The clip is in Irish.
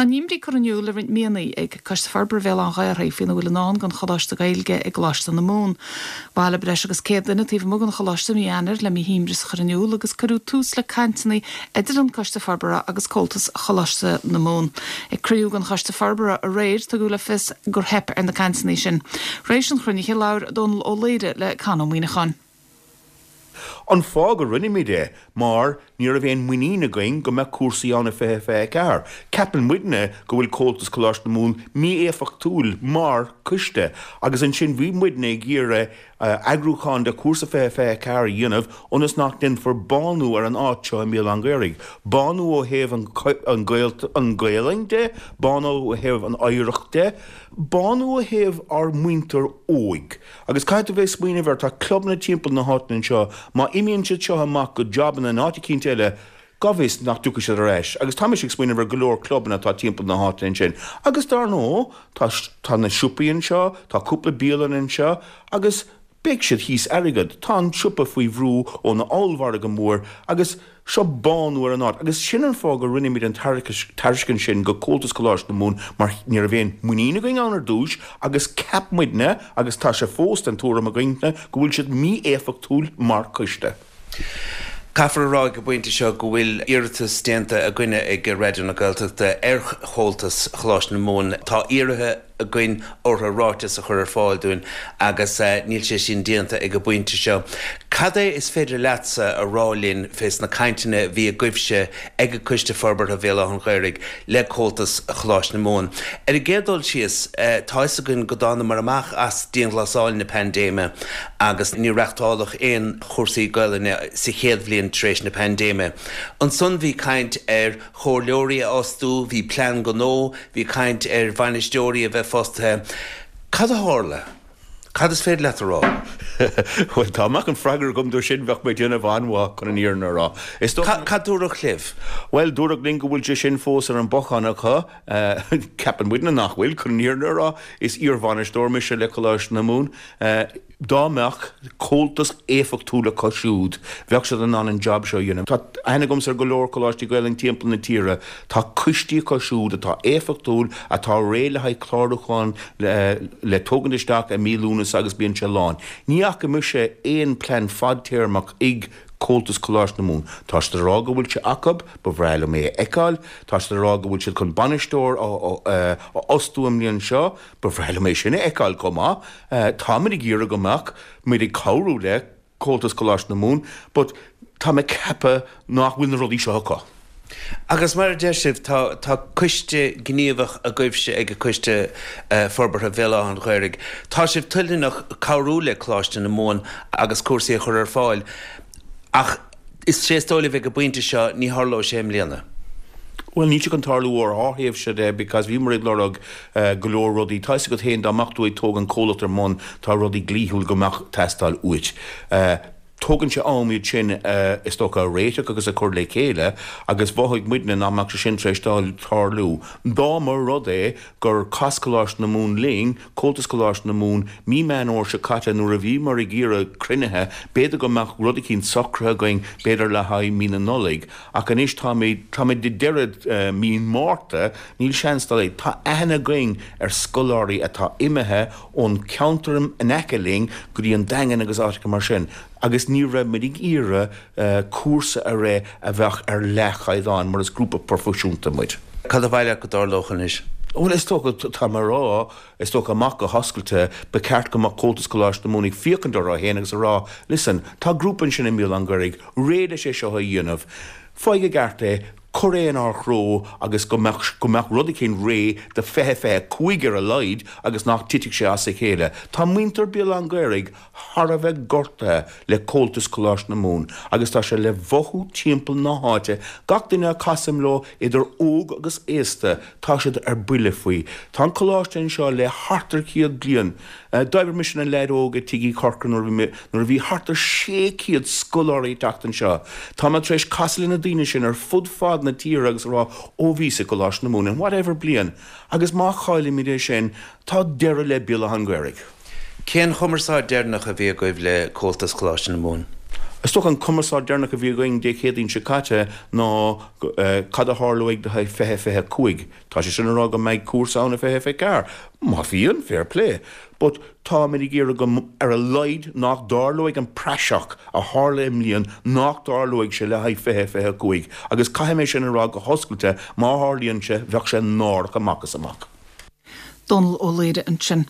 Tá a n-imní curtha in iúl le roinnt míonna ag Coiste Forbartha Bhéal Átha an Ghaorthaidh faoina bhfuil i ndán don Choláiste Gaeilge i gColáiste na Mumhan. Bhailigh breis agus 100 duine taobh amuigh den Choláiste i mí Eanáir le a n-imreas a chur in iúl agus cuireadh tús le cainteanna idir an Coiste Forbartha agus Comhaltas Choláiste na Mumhan. Ag cruinniú den Choiste Forbartha aréir tugadh le fios gur theip ar na cainteanna sin. Tar éis an chruinnithe labhair Dónal Ó Laoghaire le Con Ó Muíneacháin. An fáth go rinne muid é mar ní raibh aon muinín againn go mbeadh cúrsaí ann i 2024. Ceapann muidne go bhfuil Comhaltas Coláiste na Mumhan mí-éifeachtúil mar coiste agus ansin bhí muidne ag iarraidh eagrúchán de chúrsa 2024 a dhéanamh ionas nach ndéanfar bánú ar an áit seo i mBéal Átha an Ghaorthaidh. Bánú ó thaobh an Ghaelainn de, bánú ó thaobh an oidhreacht de, bánú ó thaobh ár muintir óig. Agus caithfidh tú bheith ag smaoineamh air, tá clubanna timpeall na háite anseo, má imíonn siad seo amach go jabanna in áit eicínt eile, cá bhfios nach dtiocfaidh siad ar ais. Agus tá mise ag smaoineamh ar go leor clubanna atá timpeall na háite ansin. Agus dar ndóigh, tá, tá na siopaí anseo, tá cúpla bialann anseo, agus beidh siad thíos airgead. Tá an siopa faoi bhrú ón ollmhargadh mór agus seo bánú ar an áit. Agus sin an fáth go rinne muid an tairiscint sin go Comhaltas Coláiste na Mumhan mar ní raibh aon muinín againn ann ar dtús agus cheap muidne, agus tá sé fós den tuairim againne, go bhfuil siad mí-éifeachtúil mar choiste. Caithfear a rá ag an bpointe seo go bhfuil iarratas déanta againne ag Raidió na Gaeltachta ar Chomhaltas Choláiste na Mumhan. Tá iarrtha againn orthu ráiteas a chur ar fáil dúinn agus níl sé sin déanta ag an bpointe seo. Cad é is féidir leatsa a rá linn fés na cainteanna a bhí agaibhse ag Coiste Forbartha Bhéal Átha an Ghaorthaidh le Comhaltas Choláiste na Mumhan? Ar an gcéad dul síos, tá fhios againn go dtánamar amach as dianghlasáil na paindéime agus níor reachtáladh aon chúrsaí Gaelainne sa chéad bhliain tar éis na paindéime. Ansan bhí caint ar chomhairleoirí a fhostú, bhí plean gnó, bhí caint ar bhainisteoirí a bheith fostaithe. Cad a tharla? Cad is féidir leat a rá? Bhuel, dá mbeadh an freagra agam dó sin, bheadh mé ag déanamh an-mhaith chun an fhírinne a rá. Is dócha. Cad dúradh libh? Bhuel, dúradh linn go bhfuil sé sin fós ar an bhothán acu. Ceapann muidne nach bhfuil, chun an fhírinne a rá. Is iarbhainisteoir mise le Coláiste na Mumhan. Dá mbeadh comhaltas éifeachtúil acu siúd, bheadh siad in ann an jab seo a dhéanamh. Tá aithne agamsa ar go leor coláistí Gaelainne timpeall na tíre. Tá coistí acu siúd atá éifeachtúil, atá réidh le haghaidh clárúchán le tógaint isteach i mí Lúnasa agus bíonn sé lán. Ní fhaca mise aon plean fadtéarmach ag Comhaltas Coláiste na Mumhan. Tá siad ag rá go bhfuil sé acu, ba bhreá liom é a fheiceáil. Tá siad ag rá go bhfuil siad chun bainisteoir a fhostú an mbliain seo. Ba bhreá liom é sin a fheiceáil chomh maith. Táimid ag iarraidh go mbeadh muid ag cabhrú le Comhaltas Coláiste na Mumhan but tá mé ag ceapadh nach bhfuil na rudaí seo acu. Agus mar a deir sibh, tá tá coiste gníomhach agaibhse ag Coiste Forbartha Bhéal Átha an Ghaorthaidh. Tá sibh toilteanach cabhrú le Coláiste na Mumhan agus cúrsaí a chur ar fáil ach Is é is dóigh libh ag an bpointe seo, ní tharlóidh sé i mbliana. Bhuel, níl sé chun tarlú ó ár thaobhse de because bhíomar ag lorg go leor rudaí. Tá fhios agat féin, dá mbeadh tú ag tógaint comhlacht ar mbun, tá rudaí dlíthiúil go mbeadh teastáil uait. Tógann sé am iad sin is dócha a réiteach agus a chur le chéile agus mhothaigh muidne nach mbeadh sé sin tar éis tarlú. Dá mba rud é gur chas Coláiste na Mumhan linn, Comhaltas Coláiste na Mumhan, mí Meán Fhómhair seo caite nuair a bhíomar ag iarraidh cruinnithe, b'fhéidir go mbeadh rud eicínt socraithe againn b'fhéidir le haghaidh mí na Nollag, ach anois táimid, táimid ag deireadh mí Márta, níl seans dá laghad. Tá aithne againn ar scoláirí atá imithe ón cheantar in aice linn go dtí an Daingean agus áiteacha mar sin agus ní raibh muid ag iarraidh cúrsa a rith a bheadh ar leathchaighdeán mar is grúpa proifisiúnta muid. Cad ba mhaith leat go dtarlódh anois? Bhuel, is dócha, tá mé a rá, is dócha amach go hoscailte, ba cheart go mbeadh Comhaltas Coláiste na Mumhan ag féachaint orthu féin agus a rá, listen, tá grúpa ansin i mBéal Átha an Ghaorthaidh, réidh leis é seo a dhéanamh, faigh i gceart é, cuir é inár threo agus go mbeadh, go mbeadh rud eicínt réidh do 2025 ar a laghad agus nach dtitfeadh sé as a chéile. Tá muintir Béal Átha an Ghaorthaidh thar a bheith gortaithe le Comhaltas Coláiste na Mumhan agus tá sé le mhothú timpeall na háite, gach duine a chasaim leo idir óg agus aosta tá siad ar buile faoi. Tá an coláiste anseo le thart ar chéad bliain. D'oibrigh mise ina leaid óg i Tigh Uí Chorcora nuair a bhí mé, nuair a bhí thart ar 600 scoláirí ag teacht anseo. Tá mé tar éis casadh le na daoine sin ar fud fad na tíre agus a rá ó bhíos i gColáiste na Mumhan in whatever bliain agus má chaillimid é sin tá deireadh le Béal Átha an Ghaorthaidh. Cén chumarsáid deireanach a bhí agaibh le Comhaltas Choláiste na Mumhan? Is dócha an cumarsáid deireanach a bhí againn Dé Céadaoin seo caite ná cad a tharlóidh le haghaidh 2025. Tá sé sin ag rá go mbeidh cúrsa ann i 2024. Má bhíonn, fair play. But táimid ag iarraidh go, ar a laghad, nach dtarlóidh an praiseach a tharla i mbliain, nach dtarlóidh sé le haghaidh 2025. Agus caithfidh mé sin a rá go hoscailte, má tharlaíonn sé, bheadh sé náireach amach is amach. Dónal Ó Laoghaire ansin.